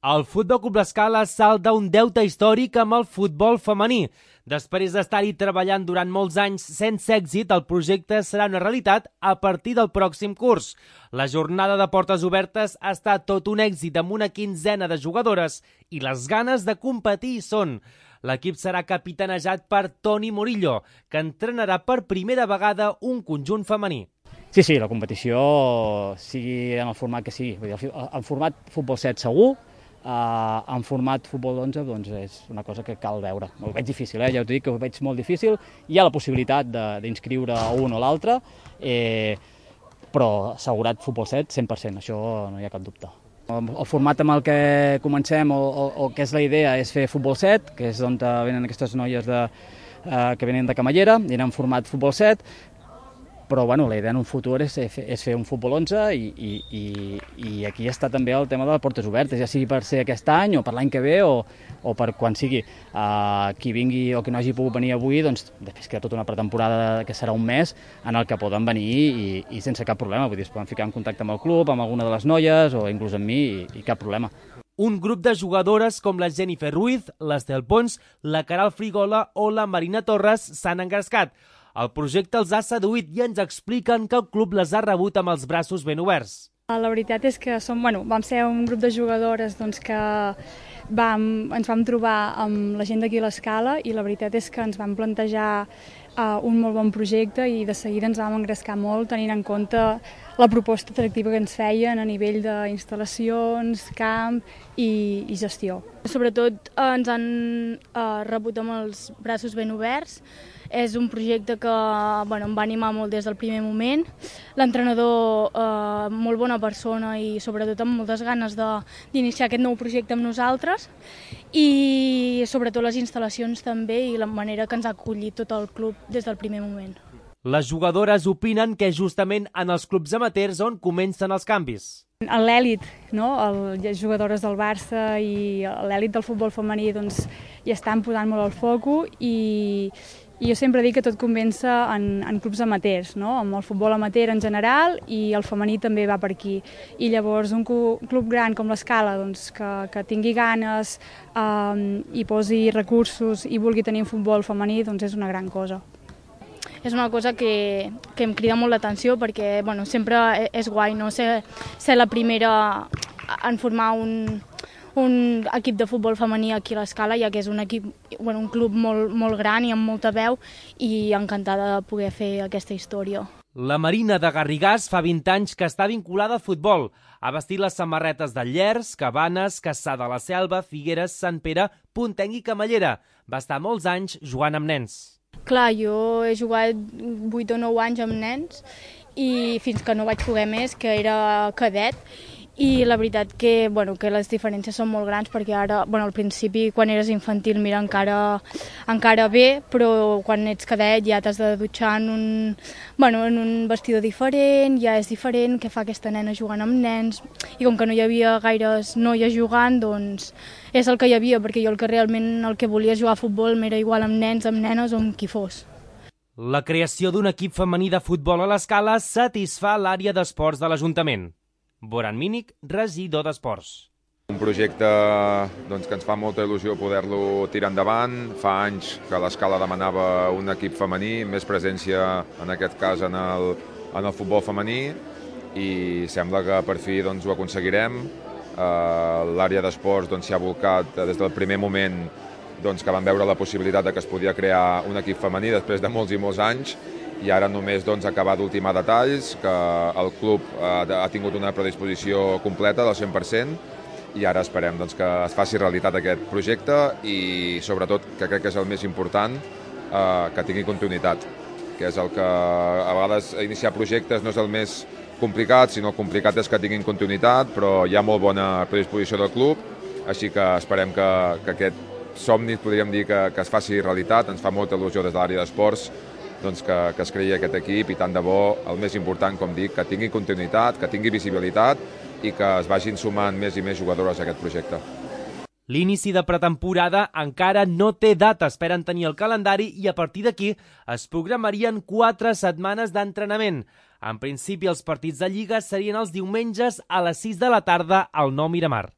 El Futbol Club L'Escala salda un deute històric amb el futbol femení. Després d'estar-hi treballant durant molts anys sense èxit, el projecte serà una realitat a partir del pròxim curs. La jornada de portes obertes ha estat tot un èxit amb una quinzena de jugadores i les ganes de competir hi són. L'equip serà capitanejat per Toni Murillo, que entrenarà per primera vegada un conjunt femení. Sí, la competició sigui en el format que sigui. En format futbol 7 segur, en format futbol 11 doncs és una cosa que cal veure. Ho veig difícil, ja us dic que ho veig molt difícil. Hi ha la possibilitat d'inscriure un o l'altre, però assegurat futbol 7 100%, això no hi ha cap dubte. El format amb el que comencem o que és la idea és fer futbol 7, que és d'on venen aquestes noies que venen de Camallera, i anem en format futbol 7, però la idea en un futur és fer un futbol 11 i aquí està també el tema de les portes obertes, ja sigui per ser aquest any o per l'any que ve o per quan sigui. Qui vingui o qui no hagi pogut venir avui, doncs després queda tota una pretemporada que serà un mes en el que poden venir i sense cap problema, vull dir, es poden ficar en contacte amb el club, amb alguna de les noies o inclús amb mi i cap problema. Un grup de jugadores com la Jennifer Ruiz, l'Estel Pons, la Caral Frigola o la Marina Torres s'han engrescat. El projecte els ha seduït i ens expliquen que el club les ha rebut amb els braços ben oberts. La veritat és que vam ser un grup de jugadores que ens vam trobar amb la gent d'aquí a l'Escala i la veritat és que ens vam plantejar un molt bon projecte i de seguida ens vam engrescar molt tenint en compte la proposta atractiva que ens feien a nivell d'instal·lacions, camp i gestió. Sobretot ens han rebut amb els braços ben oberts. És un projecte que em va animar molt des del primer moment. L'entrenador, molt bona persona i sobretot amb moltes ganes d'iniciar aquest nou projecte amb nosaltres i sobretot les instal·lacions també i la manera que ens ha acollit tot el club des del primer moment. Les jugadores opinen que és justament en els clubs amateurs on comencen els canvis. L'èlit, les jugadores del Barça i l'èlit del futbol femení hi estan posant molt el foc i jo sempre dic que tot comença en clubs amateurs, amb el futbol amateur en general i el femení també va per aquí. I llavors un club gran com l'Escala que tingui ganes i posi recursos i vulgui tenir un futbol femení és una gran cosa. És una cosa que em crida molt l'atenció perquè sempre és guai ser la primera en formar un equip de futbol femení aquí a l'Escala, ja que és un club molt gran i amb molta veu i encantada de poder fer aquesta història. La Marina de Garrigàs fa 20 anys que està vinculada al futbol. Ha vestit les samarretes de Llers, Cabanes, Cassà de la Selva, Figueres, Sant Pere, Puntenc i Camallera. Va estar molts anys jugant amb nens. Clar, jo he jugat 8 o 9 anys amb nens i fins que no vaig poder més, que era cadet, i la veritat que les diferències són molt grans perquè ara, al principi quan eres infantil mira encara bé, però quan ets cadet ja t'has de dutxar en un vestidor diferent, ja és diferent què fa aquesta nena jugant amb nens i com que no hi havia gaires noies jugant, és el que hi havia, perquè jo realment el que volia jugar a futbol m'era igual amb nens, amb nenes o amb qui fos. La creació d'un equip femení de futbol a l'Escala satisfà l'àrea d'esports de l'Ajuntament. Boran Mínic, regidor d'Esports. Un projecte que ens fa molta il·lusió poder-lo tirar endavant. Fa anys que l'Escala demanava un equip femení, més presència en aquest cas en el futbol femení i sembla que per fi ho aconseguirem. L'àrea d'esports s'hi ha volcat des del primer moment que van veure la possibilitat que es podia crear un equip femení després de molts i molts anys i ara només acabar d'ultimar detalls, que el club ha tingut una predisposició completa del 100% i ara esperem que es faci realitat aquest projecte i sobretot, que crec que és el més important, que tingui continuïtat, que és el que a vegades iniciar projectes no és el més complicat, sinó el complicat és que tinguin continuïtat, però hi ha molt bona predisposició del club, així que esperem que aquest somni, podríem dir, que es faci realitat. Ens fa molta il·lusió des de l'àrea d'esports que es creï aquest equip i tant de bo, el més important, com dic, que tingui continuïtat, que tingui visibilitat i que es vagin sumant més i més jugadores a aquest projecte. L'inici de pretemporada encara no té data, esperen tenir el calendari i a partir d'aquí es programarien 4 setmanes d'entrenament. En principi els partits de Lliga serien els diumenges a les 6 de la tarda al Nou Miramar.